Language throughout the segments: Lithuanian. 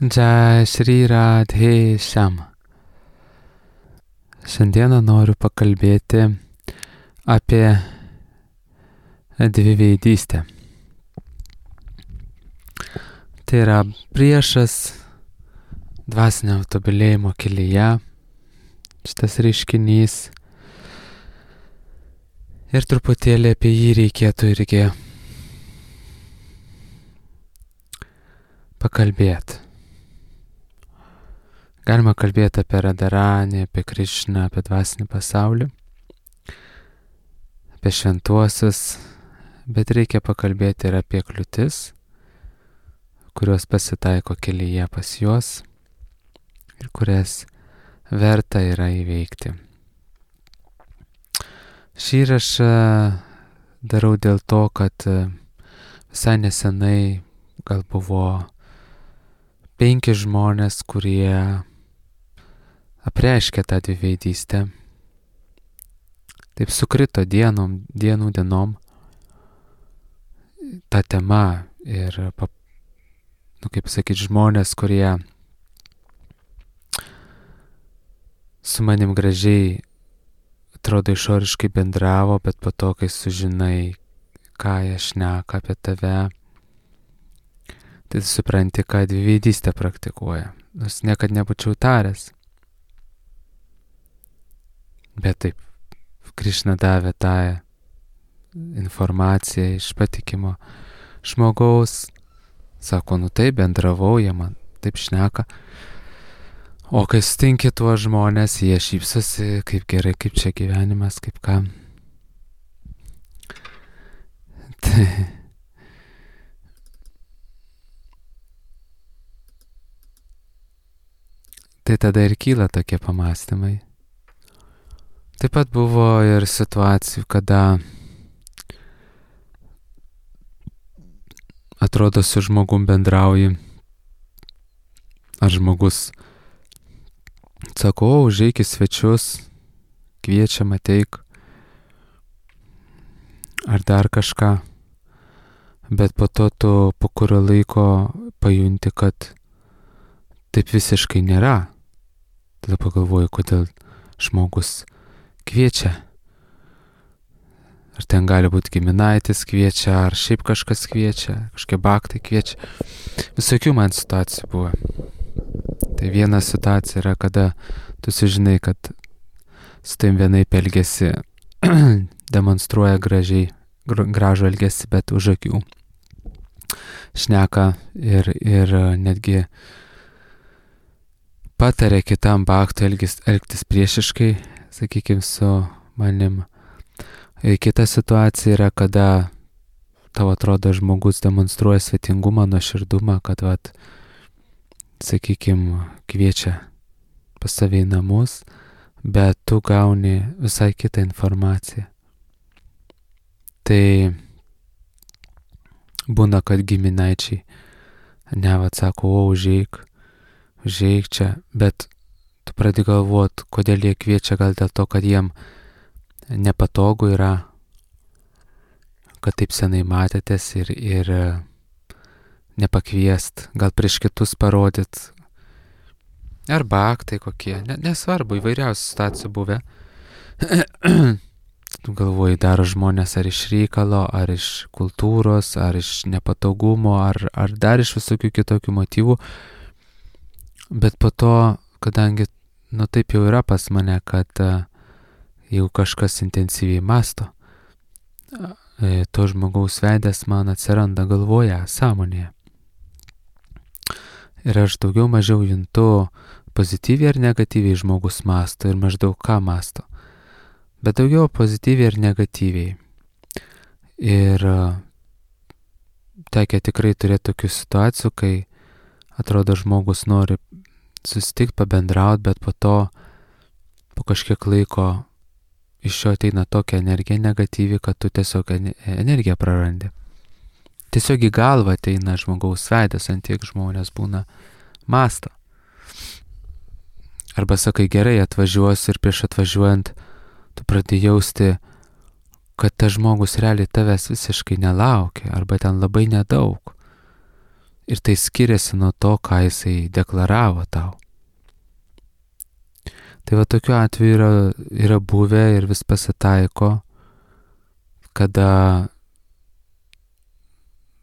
Jai Shri Radhe Shyam. Šiandieną noriu pakalbėti apie dviveidystę. Tai yra priešas dvasinio tobulėjimo kelyje, šitas reiškinys. Ir truputėlį apie jį reikėtų irgi pakalbėti. Galima kalbėti apie Radharanį, apie Krišną, apie dvasinį pasaulį, apie šventuosius, bet reikia pakalbėti ir apie kliūtis, kurios pasitaiko kelyje pas juos ir kurias verta yra įveikti. Šį įrašą darau dėl to, kad visai nesenai gal buvo 5 žmonės, kurie apreiškė tą dviveidystę. Taip sukrito dienom ta tema ir, kaip sakyti, žmonės, kurie su manim gražiai atrodo išoriškai bendravo, bet po to, kai sužinai, ką jie šneka apie tave, tai supranti, ką dviveidystę praktikuoja. Nors niekad nebūčiau taręs. Bet taip, Krišna davė tą informaciją iš patikimo žmogaus. Sako, taip, bendravau, jie man taip šneka. O kai sutinki tuos žmonės, jie šypsosi, kaip gerai, kaip čia gyvenimas, kaip ką. Tai tada ir kyla tokie pamąstymai. Taip pat buvo ir situacijų, kada atrodo su žmogum bendrauji, ar žmogus sako, užeik į svečius, kviečiam, ateik, ar dar kažką, bet po to tu po kurio laiko pajunti, kad taip visiškai nėra. Tada pagalvoju, kodėl žmogus kviečia. Ar ten gali būti giminaitis kviečia, ar šiaip kažkas kviečia, kažkokie baktai kviečia. Visokių man situacijų buvo. Tai viena situacija yra, kada tu sužinai, kad su tavim vienaip elgesi, demonstruoja gražų elgesį, bet už akių šneka ir netgi patarė kitam baktui elgtis priešiškai, sakykime, su manim. Kita situacija yra, kada tau atrodo žmogus demonstruoja svetingumą, nuoširdumą, kad, sakykime, kviečia pas save į namus, bet tu gauni visai kitą informaciją. Tai būna, kad giminaičiai sako, užeik čia, bet tu pradedi galvoti, kodėl jie kviečia, gal dėl to, kad jiem nepatogu yra, kad taip senai matėtės ir nepakviest, gal prieš kitus parodyt, arba aktai kokie, nesvarbu, įvairiausių situacijų buvę. Tu galvoji, daro žmonės ar iš reikalo, ar iš kultūros, ar iš nepatogumo, ar dar iš visokių kitokių motyvų. Bet po to, kadangi, taip jau yra pas mane, kad jeigu kažkas intensyviai masto, to žmogaus veidas man atsiranda galvoje, sąmonėje. Ir aš daugiau mažiau juntu pozityviai ar negatyviai žmogus masto ir maždaug ką masto. Bet daugiau pozityviai ir negatyviai. Ir tekia tikrai turėti tokių situacijų, kai atrodo žmogus nori susitikti, pabendrauti, bet po to, po kažkiek laiko iš jo ateina tokia energija negatyvi, kad tu tiesiog energiją prarandi. Tiesiog į galvą ateina žmogaus veidas, ant tiek žmonės būna masto. Arba sakai, gerai, atvažiuosiu ir prieš atvažiuojant tu pradėjai jausti, kad tas žmogus realiai tavęs visiškai nelaukia, arba ten labai nedaug. Ir tai skiriasi nuo to, ką jisai deklaravo tau. Tai va tokiu atveju yra buvę ir vis pasitaiko, kada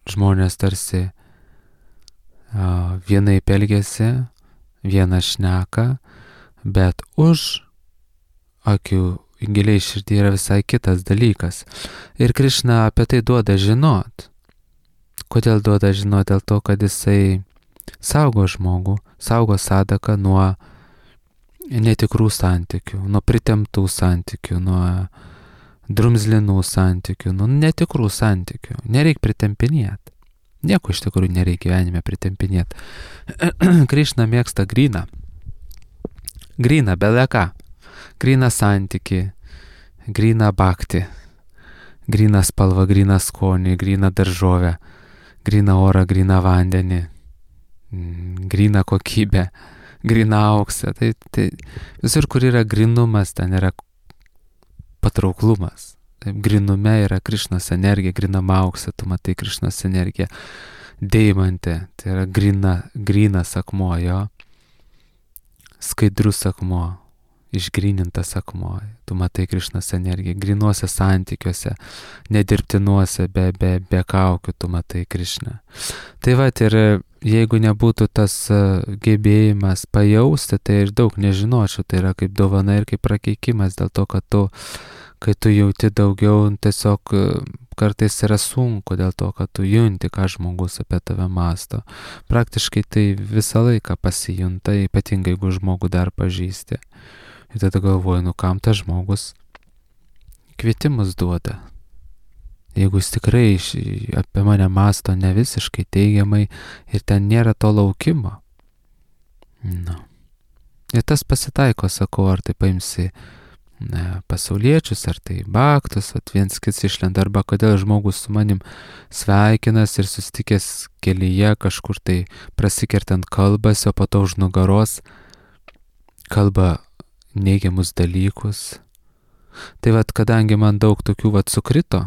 žmonės tarsi vienaip elgiasi, vieną šneka, bet už akių giliai širdį yra visai kitas dalykas. Ir Krišna apie tai duoda žinot. Kodėl duoda žinot? Dėl to, kad jisai saugo žmogų, saugo sadaką nuo netikrų santykių, nuo pritemptų santykių, nuo drumzlinų santykių, nuo netikrų santykių. Nereik pritempinėti. Nieko iš tikrųjų nereikia gyvenime pritempinėti. Krišna mėgsta gryną. Gryną, beleką. Gryną santykį, gryną bhakti, gryną spalvą, gryną skonį, gryną daržovę, gryną orą, gryną vandenį, gryną kokybę, gryną auksą. Tai visur, kur yra grynumas, ten yra patrauklumas. Taip, grynume yra Krišnos energija, grynam aukse, tu matai Krišnos energiją. Deimantė, tai yra grynas akmuo, jo. Skaidrus akmuo. Išgrynintas akmuo, tu matai Krišnos energiją, grynuose santykiuose, nedirbtinuose, be kaukių, tu matai Krišną. Tai va, ir jeigu nebūtų tas gebėjimas pajausti, tai ir daug nežinočiau, tai yra kaip dovana ir kaip prakeikimas, dėl to, kad kai tu jauti daugiau, tiesiog kartais yra sunku, dėl to, kad tu junti, ką žmogus apie tave mąsto. Praktiškai tai visą laiką pasijunta, ypatingai jeigu žmogų dar pažįsti. Ir tada galvoju, kam tas žmogus kvietimus duoda. Jeigu jis tikrai apie mane mąsto ne visiškai teigiamai ir ten nėra to laukimo. Ir tas pasitaiko, sakau, ar tai paimsi pasauliečius, ar tai baktus, viens kits išlenda, arba kodėl žmogus su manim sveikinas ir susitikęs kelyje kažkur tai prasikertant kalbas, o po to už nugaros kalba neigiamus dalykus. Tai vat, kadangi man daug tokių sukrito,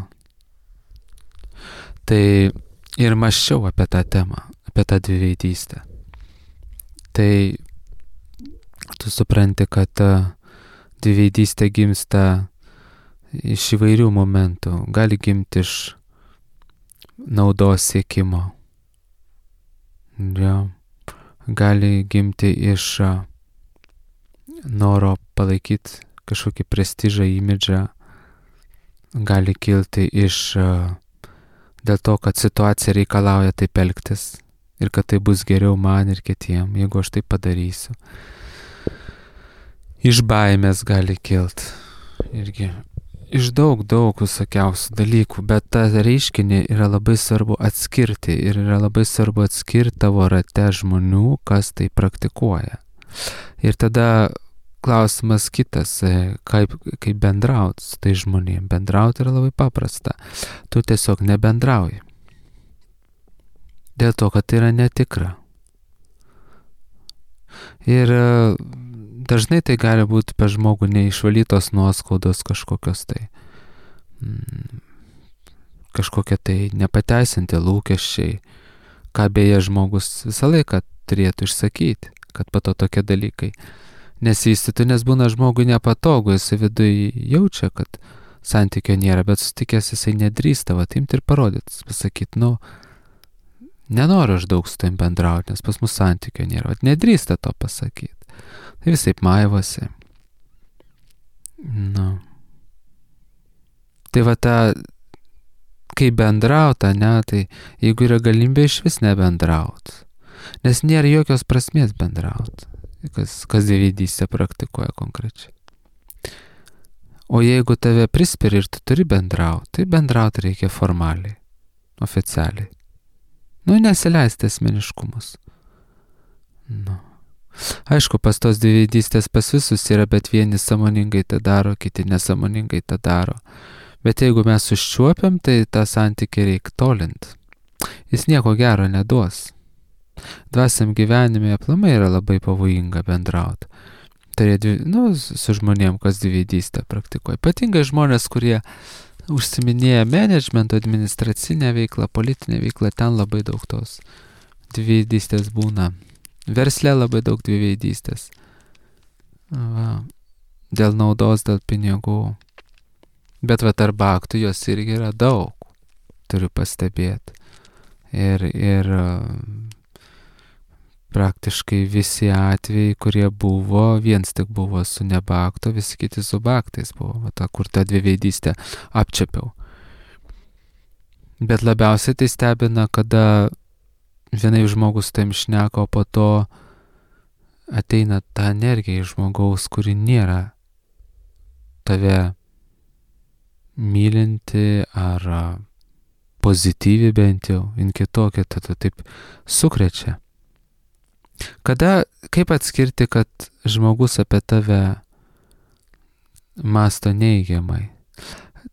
tai ir mąsčiau apie tą temą, apie tą dviveidystę. Tai tu supranti, kad dviveidystė gimsta iš įvairių momentų. Gali gimti iš naudos siekimo. Ja. Gali gimti iš noro palaikyti kažkokį prestižą, imidžą, gali kilti iš dėl to, kad situacija reikalauja taip elgtis ir kad tai bus geriau man ir kitiem, jeigu aš tai padarysiu. Iš baimės gali kilti irgi. Iš daug visokiausių dalykų, bet tą reiškinį yra labai svarbu atskirti ir yra labai svarbu atskirti tavo rate žmonių, kas tai praktikuoja. Ir tada klausimas kitas, kaip bendrauti su tai žmonėm. Bendrauti yra labai paprasta. Tu tiesiog nebendrauji. Dėl to, kad tai yra netikra. Ir dažnai tai gali būti per žmogų neišvalytos nuoskaudos kažkokios tai. Kažkokie tai nepateisinti lūkesčiai, ką beje žmogus visą laiką turėtų išsakyti, kad po to tokie dalykai nesivystytų, nes būna žmogui nepatogu, jisai viduje jaučia, kad santykio nėra, bet sutikęs jisai nedrįsta, imti ir parodyti, pasakyti, nenoriu aš daug su tavim bendrauti, nes pas mus santykio nėra, nedrįsta to pasakyti. Tai visaip maivosi. Tai va kai bendrauta, tai jeigu yra galimybė iš vis nebendrauti, nes nėra jokios prasmės bendrauti. Kas dviveidystę praktikuoja konkrečiai. O jeigu tave prispiri ir tu turi bendrauti, tai bendrauti reikia formaliai, oficialiai. Nesileisti asmeniškumus. Aišku, pas tos dviveidystės pas visus yra, bet vieni sąmoningai tą daro, kiti nesąmoningai tą daro. Bet jeigu mes užčiuopiam, tai tą santykį reikia tolinti. Jis nieko gero neduos. Dvasiam gyvenime aplamai yra labai pavojinga bendrauti. Su žmonėm, kas dviveidystę praktikuoja. Ypatingai žmonės, kurie užsiminėja menedžmento, administracinę veiklą, politinę veiklą, ten labai daug tos dviveidystės būna. Versle labai daug dviveidystės. Va. Dėl naudos, dėl pinigų. Bet va tarp bhaktų jos irgi yra daug. Turiu pastebėti. Ir praktiškai visi atvejai, kurie buvo, viens tik buvo su nebhakto, visi kiti su bhaktais buvo. Va ta, kur tą dviveidystę apčiapiau. Bet labiausiai tai stebina, kada vienai žmogus tam šneka, o po to ateina ta energija iš žmogaus, kuri nėra tave mylinti ar pozityvi bent jau, in kitokia, tada taip sukrečia. Kaip atskirti, kad žmogus apie tave mąsto neigiamai?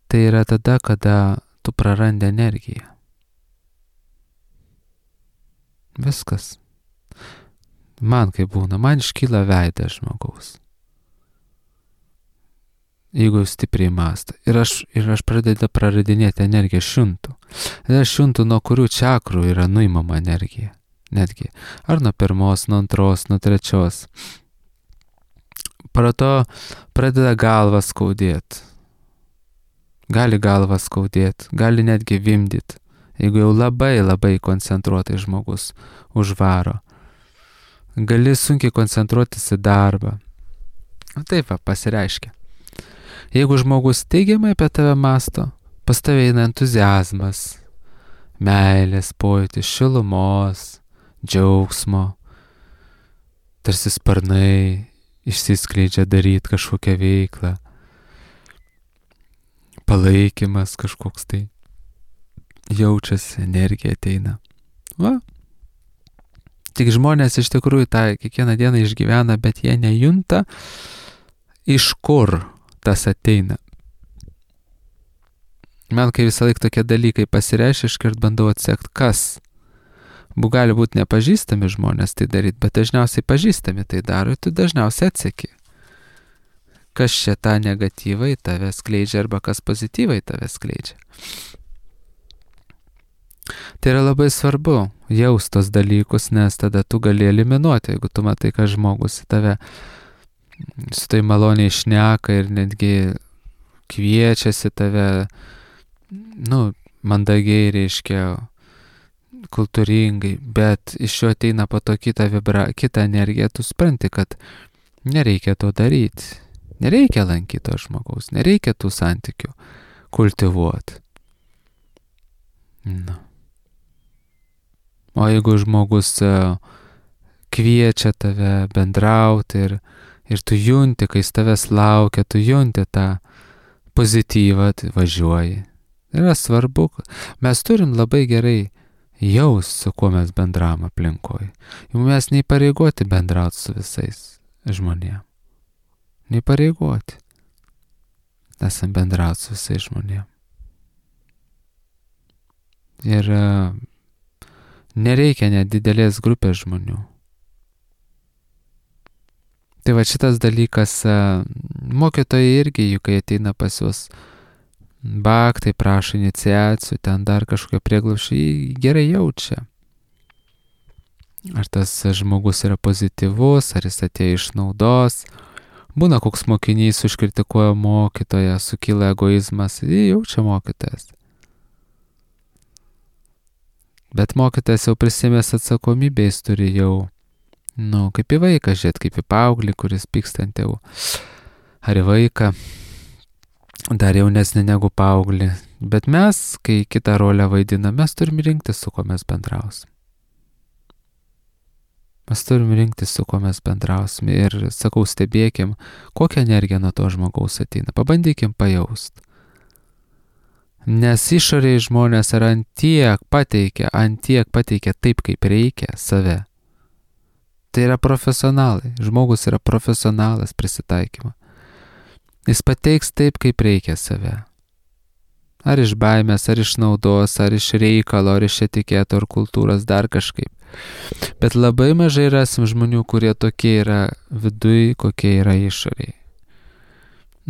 Tai yra tada, kada tu prarandi energiją. Viskas. Man kaip būna, man iškyla veidas žmogaus. Jeigu stipriai mąsto. Ir aš pradedu praradinėti energiją, šuntų. Ir aš šuntų, nuo kurių čakrų yra nuimama energija. Netgi. Ar nuo pirmos, nuo antros, nuo trečios. Prato pradeda galvą skaudėti. Gali galvą skaudėti, gali netgi vimdyti. Jeigu jau labai koncentruotai žmogus užvaro. Gali sunkiai koncentruotis į darbą. Taip va, pasireiškia. Jeigu žmogus teigiamai apie tave mąsto, pas tave eina entuziazmas, meilės pojūtis, šilumos, džiaugsmo, tarsi sparnai išsiskleidžia daryti kažkokią veiklą, palaikymas kažkoks tai, jaučiasi, energija ateina. Va. Tik žmonės iš tikrųjų tą kiekvieną dieną išgyvena, bet jie nejunta, iš kur tas ateina. Man kai visą laiką tokie dalykai pasireiškia, iškart bandau atsekti, kas. Gali būti nepažįstami žmonės tai daryti, bet dažniausiai pažįstami tai daro ir tu dažniausiai atseki. Kas čia tą negatyvą į tave skleidžia arba kas pozityvą į tave skleidžia. Tai yra labai svarbu jaust tos dalykus, nes tada tu gali eliminuoti, jeigu tu matai, kad žmogus į tave su tai maloniai šneka ir netgi kviečiasi tave, mandagiai reiškia, kultūringai, bet iš jo ateina po to kita energija, tu supranti, kad nereikia to daryti, nereikia lankyti to žmogaus, nereikia tų santykių kultivuoti. O jeigu žmogus kviečia tave bendrauti ir tu junti, kai jis tavęs laukia, tu junti tą pozityvą, tai važiuoji. Yra svarbu, mes turim labai gerai jaus, su kuo mes bendravom aplinkoje. Jau mes neįpareigoti bendrauti su visais žmonėm. Neįpareigoti. Esam bendrauti su visais žmonėm. Ir nereikia net didelės grupės žmonių. Tai va šitas dalykas, mokytojai irgi, juk kai ateina pas juos bhaktai, prašo iniciacijų, ten dar kažkokio prieglaušio, jį gerai jaučia. Ar tas žmogus yra pozityvus, ar jis atėjo iš naudos. Būna koks mokinys užkritikuoja mokytoją, sukyla egoizmas, jį jaučia mokytojas. Bet mokytojas jau prisimės atsakomybę, jis turi jau, kaip į vaiką žiūrėt, kaip į paauglį, kuris pyksta ant tėvų. Ar į vaiką, dar jaunesnį negu paauglį. Bet mes, kai kitą rolę vaidiname, mes turim rinktis, su kuo mes bendrausim. Mes turim rinktis, su kuo mes bendrausim. Ir sakau, stebėkim, kokią energiją nuo to žmogaus ateina. Pabandykim pajaust. Nes išoriai žmonės yra ant tiek pateikia taip, kaip reikia save. Tai yra profesionalai. Žmogus yra profesionalas prisitaikymo. Jis pateiks taip, kaip reikia save. Ar iš baimės, ar iš naudos, ar iš reikalo, ar iš etiketo, ar kultūros, dar kažkaip. Bet labai mažai rasim žmonių, kurie tokie yra viduj, kokie yra išoriai.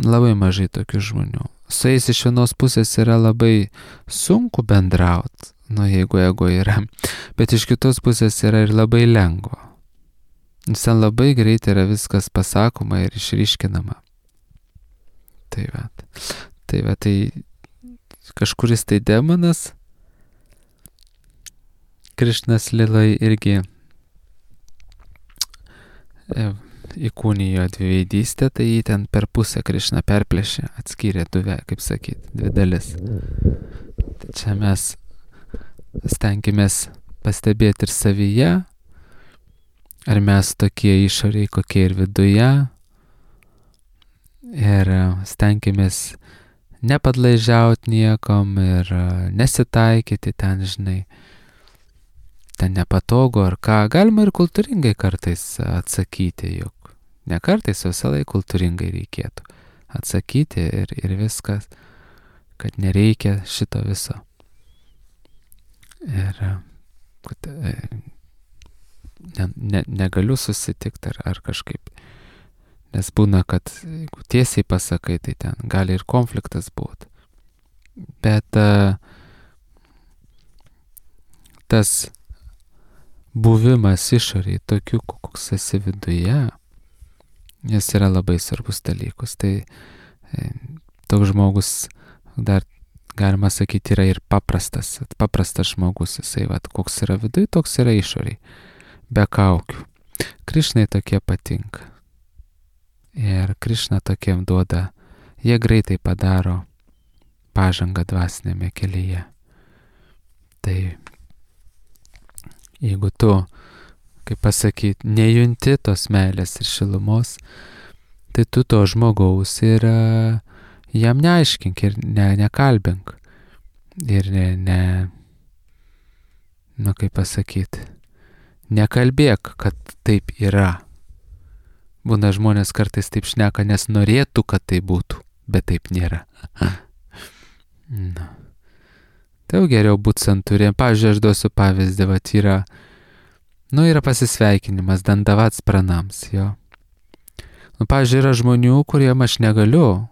Labai mažai tokių žmonių. Su jais iš vienos pusės yra labai sunku bendrauti, jeigu ego yra. Bet iš kitos pusės yra ir labai lengva. Nes ten labai greit yra viskas pasakoma ir išryškinama. Tai kažkuris tai demonas, Krišnas Lilai irgi įkūnijo dviveidystę, tai jį ten per pusę Krišna perplėšė, atskyrė dvi dalis. Tai čia mes stenkimės pastebėti ir savyje, ar mes tokie išoriai, kokie ir viduje, ir stenkimės nepadlaižiauti niekam ir nesitaikyti ten, žinai, ten nepatogu ar ką. Galima ir kultūringai kartais atsakyti, juk ne kartais, visą laiką kultūringai reikėtų atsakyti ir viskas, kad nereikia šito viso. Ir kad negaliu susitikti ar kažkaip. Nes būna, kad jeigu tiesiai pasakai, tai ten gali ir konfliktas būti. Bet tas buvimas išoriai tokiu, koks esi viduje, jis yra labai svarbus dalykus. Tai toks žmogus dar, galima sakyti, yra ir paprastas žmogus. Jisai, koks yra viduje, toks yra išoriai. Be kaukių. Krišnai tokie patinka. Ir Krišna tokiem duoda, jie greitai padaro pažangą dvasinėme kelyje. Tai jeigu tu, kaip pasakyti, nejunti tos meilės ir šilumos, tai tu to žmogaus ir jam neaiškink ir nekalbink. Ir kaip pasakyti, nekalbėk, kad taip yra. Būna žmonės kartais taip šneka, nes norėtų, kad tai būtų, bet taip nėra. Tai jau geriau būti santūriem. Pavyzdžiui, aš duosiu pavyzdį, yra pasisveikinimas, dandavats pranams, jo. Pavyzdžiui, yra žmonių, kuriem aš negaliu.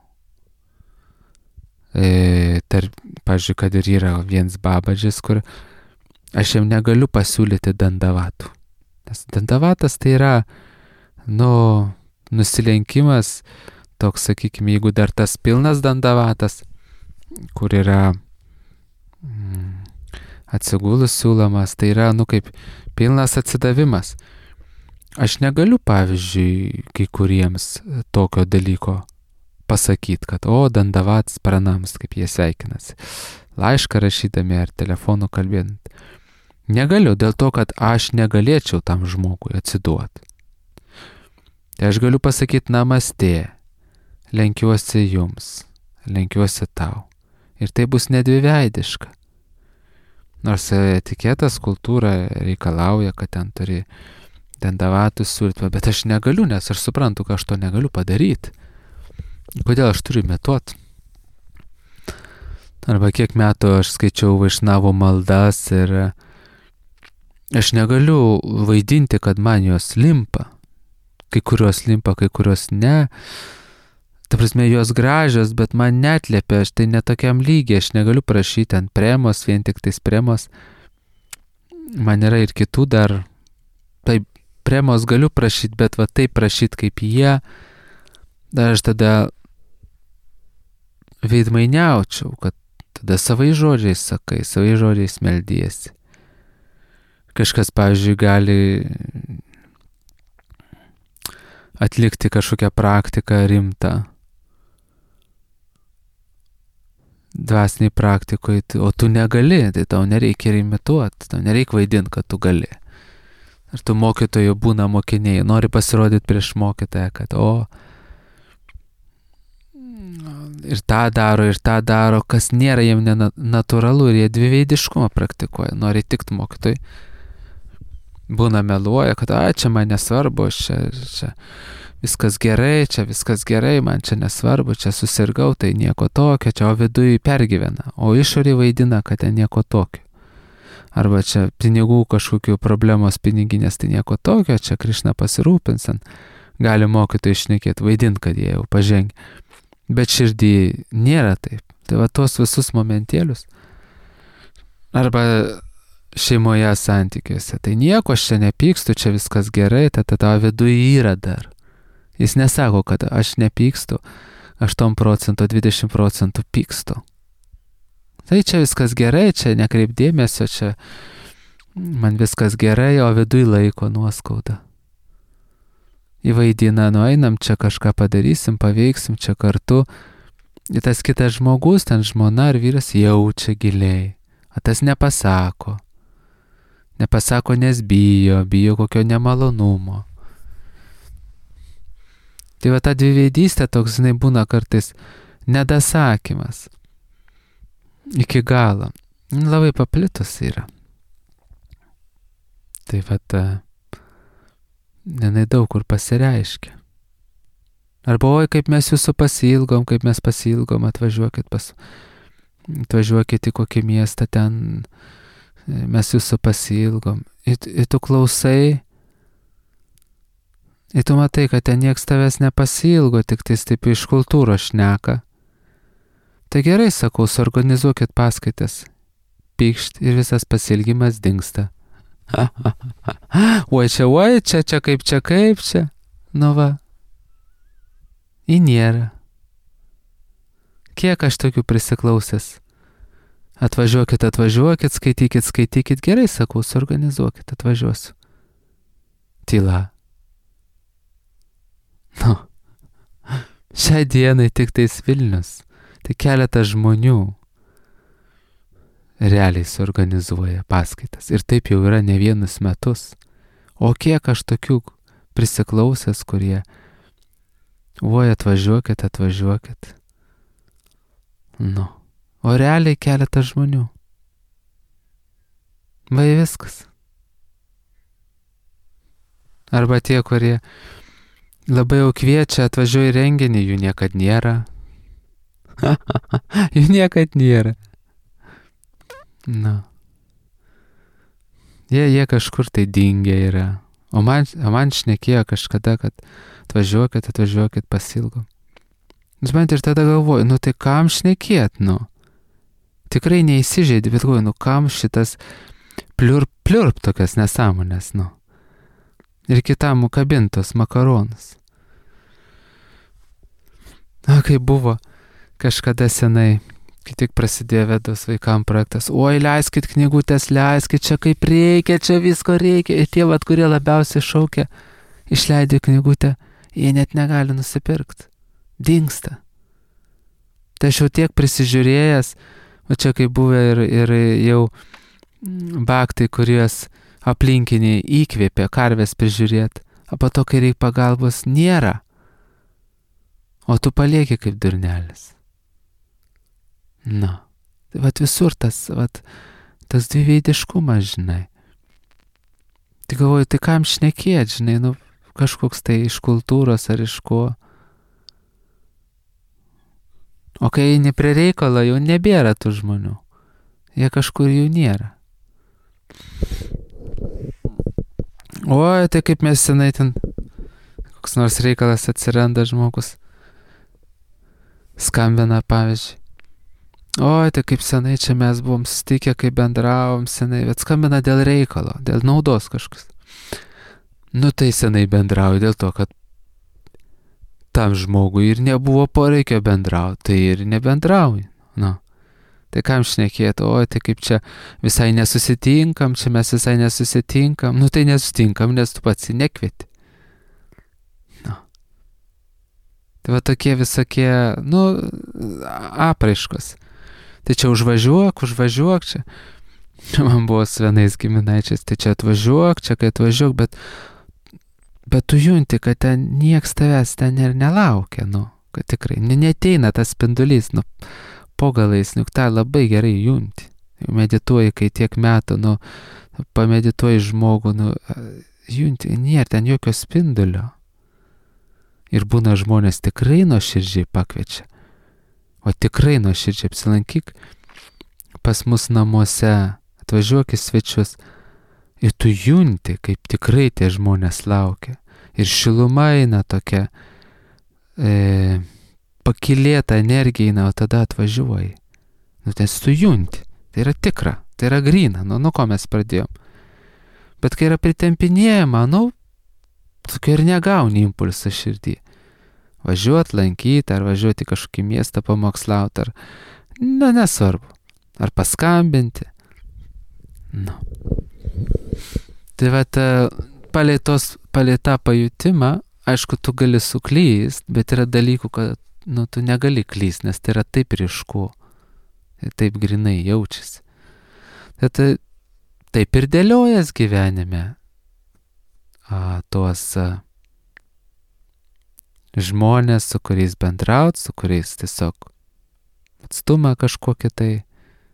Pavyzdžiui, kad ir yra vienas babadžis, kur aš jam negaliu pasiūlyti dandavatų. Nes dandavatas tai yra nusilenkimas, toks, sakykime, jeigu dar tas pilnas dandavatas, kur yra atsigulus siūlomas, tai yra, kaip pilnas atsidavimas. Aš negaliu, pavyzdžiui, kai kuriems tokio dalyko pasakyti, kad, dandavats pranams, kaip jie sveikinasi. Laišką rašydami ar telefonu kalbėdami. Negaliu, dėl to, kad aš negalėčiau tam žmogui atsiduoti. Tai aš galiu pasakyti namastė, lenkiuosi jums, lenkiuosi tau. Ir tai bus nedviveidiška. Nors etiketas, kultūra reikalauja, kad ten turi dandavatus siūlyti, bet aš negaliu, nes aš suprantu, kad aš to negaliu padaryti. Kodėl aš turiu metuoti? Arba kiek metų aš skaičiau Vaišnavų maldas ir aš negaliu vaidinti, kad man jos limpa. Kai kurios limpa, kai kurios ne. Ta prasme, jos gražios, bet man neatliepia, aš tai netokiam lygiai, aš negaliu prašyti ant premos, vien tik tais premos. Man yra ir kitų dar, tai premos galiu prašyti, bet taip prašyti kaip jie, dar aš tada veidmainiaučiau, kad tada savai žodžiais sakai, savai žodžiais meldiesi. Kažkas, pavyzdžiui, gali atlikti kažkokią praktiką rimtą. Dvasiniai praktikoje, o tu negali, tai tau nereikia imituoti, tau nereikia vaidinti, kad tu gali. Ar tu mokytojų būna mokiniai, nori pasirodyti prieš mokytoją, kad ir tą daro, kas nėra jiem natūralu ir jie dviveidiškumą praktikuoja, nori tikti mokytojui. Būna meluoja, kad čia man nesvarbu, čia viskas gerai, man čia nesvarbu, čia susirgau, tai nieko tokio, čia viduje pergyvena, o išorė vaidina, kad ten nieko tokio. Arba čia pinigų kažkokių problemos piniginės, tai nieko tokio, čia Krišna pasirūpins, gali mokytojai šnekėti, vaidinti, kad jie jau pažengia. Bet širdį nėra taip. Tai tuos visus momentėlius Arba šeimoje santykiuose. Tai nieko, aš čia nepykstu, čia viskas gerai, tavo viduje yra dar. Jis nesako, kad aš nepykstu, 8 procentų, 20 procentų pykstu. Tai čia viskas gerai, čia nekreip dėmesio, čia man viskas gerai, o viduje laiko nuoskauda. Įvaidina, einam čia kažką padarysim, paveiksim čia kartu. Ir tas kitas žmogus, ten žmona ar vyras jaučia giliai, o tas nepasako. Nepasako, nes bijo kokio nemalonumo. Tai va ta dviveidystė toks, būna kartais nedasakymas. Iki galo. Labai paplitus yra. Tai va jinai daug kur pasireiškia. Arba, oi, kaip mes jūsų pasiilgom, atvažiuokit į kokį miestą ten, mes jūsų pasiilgom. Ir tu klausai, ir tu matai, kad ten nieks tavęs nepasiilgo, tik tais taip iš kultūros šneka. Tai gerai, sakau, suorganizuokit paskaitas. Pykšt ir visas pasiilgimas dingsta. Oi, čia kaip čia. Nu va. Į nėra. Kiek aš tokių prisiklausęs. Atvažiuokit, skaitykit. Gerai, sakau, suorganizuokit, atvažiuosiu. Tyla. Nu. Šiai dienai tik tais Vilnius. Tai keletas žmonių realiai suorganizuoja paskaitas. Ir taip jau yra ne vienus metus. O kiek aš tokių prisiklausęs, kurie oi, atvažiuokit. Nu. O realiai keletas žmonių. Vai viskas. Arba tie, kurie labai jau kviečia, atvažiuoja į renginį, jų niekad nėra. Jų niekad nėra. Na. Jie kažkur tai dingę yra. O man šnekėjo kažkada, kad atvažiuokit, pasiilgom. Bet ir tada galvoju, nu tai kam šnekėt, nu? Tikrai neįsižeidė, bet galvoju, nu kam šitas pliurp tokias nesąmonės, nu? Ir kitam kabintos makaronus. Kai buvo kažkada senai, kai tik prasidėjo Vedos vaikam projektas, oi, leiskit knygutės, leiskit, čia kaip reikia, čia visko reikia. Ir tie, kurie labiausiai šaukia, išleidė knygutę, jie net negali nusipirkti. Dingsta. Tai aš jau tiek prisižiūrėjęs, o čia kaip buvę ir jau baktai, kurios aplinkiniai įkvėpė karvės prižiūrėti, o po to, kai reikia pagalbos, nėra. O tu palieki kaip durnelis. Na, tai visur tas dviveidiškumas, žinai. Tai galvoju, tai kam šnekėt, žinai, nu, kažkoks tai iš kultūros ar iš ko. O kai eini prie reikalo, jau nebėra tų žmonių. Jie kažkur jų nėra. Oi, tai kaip mes senai ten, koks nors reikalas atsiranda žmogus. Skambina, pavyzdžiui. Oi, tai kaip senai čia mes buvom susitikę, kai bendravom senai, bet skambina dėl reikalo, dėl naudos kažkas. Nu tai senai bendrauju dėl to, kad tam žmogui ir nebuvo poreikio bendrauti, tai ir nebendrauju. Nu. Tai kam šnekėti, oi, tai kaip čia visai nesusitinkam, nu tai nesusitinkam, nes tu pats nekvieti. Nu. Tai va tokie visokie, nu, apraiškos. Tai čia užvažiuok čia. Man buvo su vienais giminaičiais, tai čia atvažiuok, bet tu junti, kad ten nieks tavęs ten ir nelaukia, nu, kad tikrai neteina tas spindulys, nu, po galais, nu, tą labai gerai junti. Medituoji, kai tiek metų, nu, pamedituoji žmogų, nu, junti, nėra ten jokio spindulio. Ir būna žmonės tikrai nuoširdžiai pakviečia. O tikrai nuoširdžiai apsilankyk pas mus namuose, atvažiuok į svečius. Ir tu junti, kaip tikrai tie žmonės laukia. Ir šiluma eina tokia, pakilėta energija eina, o tada atvažiuoji. Nu, nes tu junti. Tai yra tikra. Tai yra gryna, nuo ko mes pradėjom. Bet kai yra pritempinėjama, tokio ir negauni impulsą širdį. Važiuot, lankyti, ar važiuoti kažkokį miestą pamokslauti, ar, nesvarbu. Ar paskambinti. Tai palei tą pajutimą, aišku, tu gali suklyst, bet yra dalykų, kad, tu negali klyst, nes tai yra taip ryšku. Taip grinai jaučiasi. Tai taip ir dėliojas gyvenime tuos žmonės, su kuriais bendraut, su kuriais tiesiog atstumą kažkokį tai,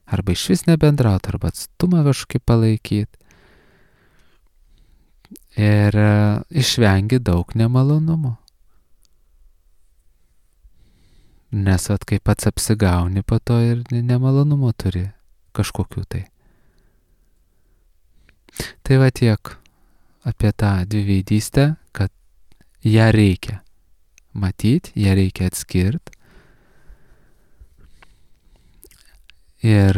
arba išvis nebendraut, arba atstumą kažkokį palaikyti. Ir išvengi daug nemalonumų. Nes kai pats apsigauni, po to ir nemalonumų turi kažkokių tai. Tai tiek apie tą dviveidystę, kad ją reikia matyti, ją reikia atskirti. Ir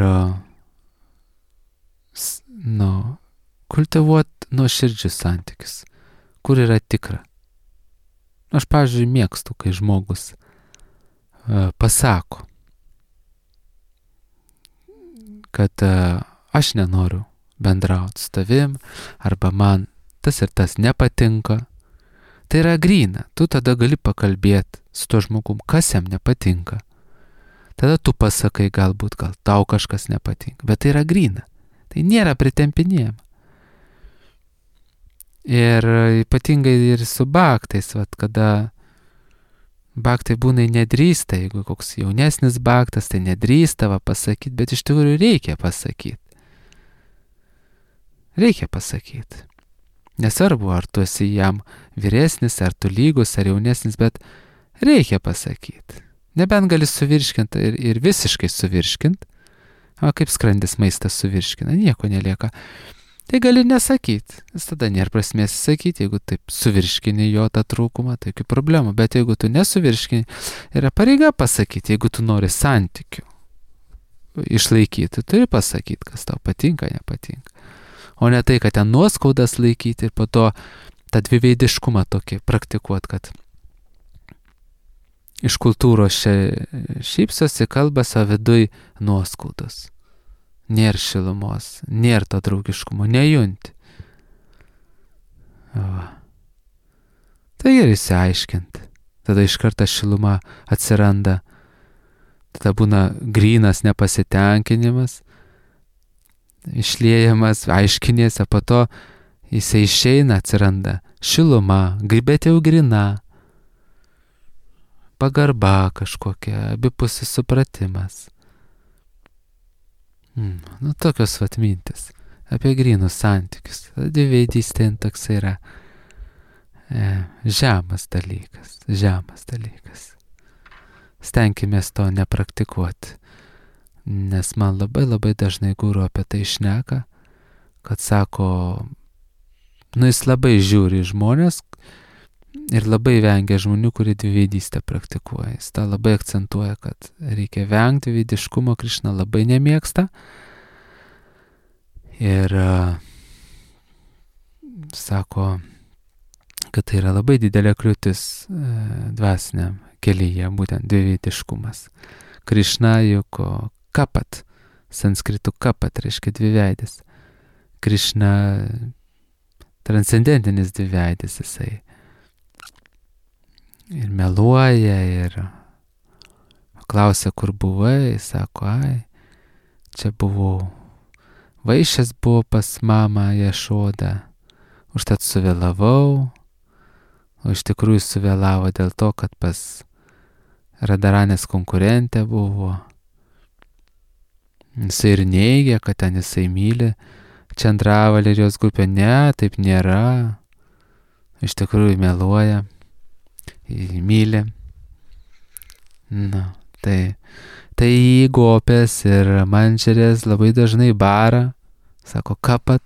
kultivuoti nuoširdžius santykius, kur yra tikra. Aš, pavyzdžiui, mėgstu, kai žmogus pasako, kad aš nenoriu bendrauti su tavim, arba man tas ir tas nepatinka. Tai yra gryna, tu tada gali pakalbėti su tuo žmogum, kas jam nepatinka. Tada tu pasakai, gal tau kažkas nepatinka, bet tai yra gryna, tai nėra pritempinėjama. Ir ypatingai ir su baktais, kada baktai būna nedrįsta, jeigu koks jaunesnis baktas, tai nedrįsta pasakyti, bet iš tikrųjų reikia pasakyti. Reikia pasakyti. Nesvarbu, ar tu esi jam vyresnis, ar tu lygus, ar jaunesnis, bet reikia pasakyti. Nebent gali suvirškinti ir visiškai suvirškinti, o kaip skrandis maistą suvirškina, nieko nelieka. Tai gali nesakyti, nes tada nėra prasmės sakyti, jeigu taip suvirškini jo tą trūkumą, tai jokių problemų, bet jeigu tu nesuvirškini, yra pareiga pasakyti, jeigu tu nori santykių išlaikyti, turi pasakyti, kas tau patinka, nepatinka. O ne tai, kad ten nuoskaudas laikyti ir po to tą dviveidiškumą tokį praktikuoti, kad iš kultūros šypsosi, kalba, o viduj nuoskaudos. Nėra šilumos, nėra to draugiškumo, nejunti. Tai ir įsiaiškinti. Tada iš karto šiluma atsiranda. Tada būna grynas nepasitenkinimas, išliejamas, aiškinėse, po to jisai išeina, atsiranda šiluma, bet jau gryna, pagarba kažkokia, abipusis supratimas. Tokios mintis apie grynus santykius. Dviveidystė toks yra žemas dalykas. Stenkimės to nepraktikuoti, nes man labai dažnai guru apie tai šneka, kad sako, jis labai žiūri žmonės ir labai vengia žmonių, kurie dviveidystę praktikuoja. Jis tą labai akcentuoja, kad reikia vengti dviveidiškumo, Krišna labai nemėgsta. Ir sako, kad tai yra labai didelė kliūtis dvasiniam kelyje, būtent dviveidiškumas. Krišna juk kapat, sanskritu kapat reiškia dviveidis. Krišna transcendentinis dviveidis jisai. Ir meluoja, ir klausia, kur buvai, sako, čia buvau, vaišės buvo pas mamą Ješodą, užtat suvėlavau, o iš tikrųjų suvėlavo dėl to, kad pas Radaranės konkurentė buvo. Jisai ir neigia, kad ten jisai myli Čandravalį ir jos grupę, ne, taip nėra, iš tikrųjų meluoja. Myli. Tai jį gopės ir mančerės labai dažnai bara, sako kapat,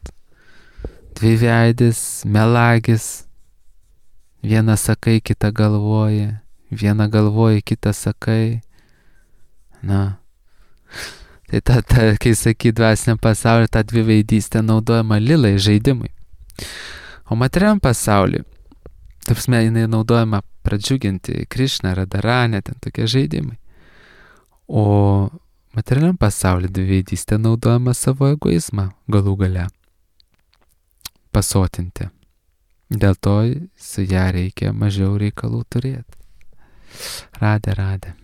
dviveidis, melagis, vieną sakai, kitą galvoji, vieną galvoji, kitą sakai. Tai Tai kai sakai dvasiniam pasauliu, ta dviveidystė naudojama lilai žaidimui. O materialiam pasauliu, tapsme, jinai naudojama pradžiuginti Krišną, Radaranę, ten tokie žaidimai. O materialiam pasauliu dviveidystė naudojama savo egoizmą galų gale pasotinti. Dėl to su ją reikia mažiau reikalų turėti. Radė.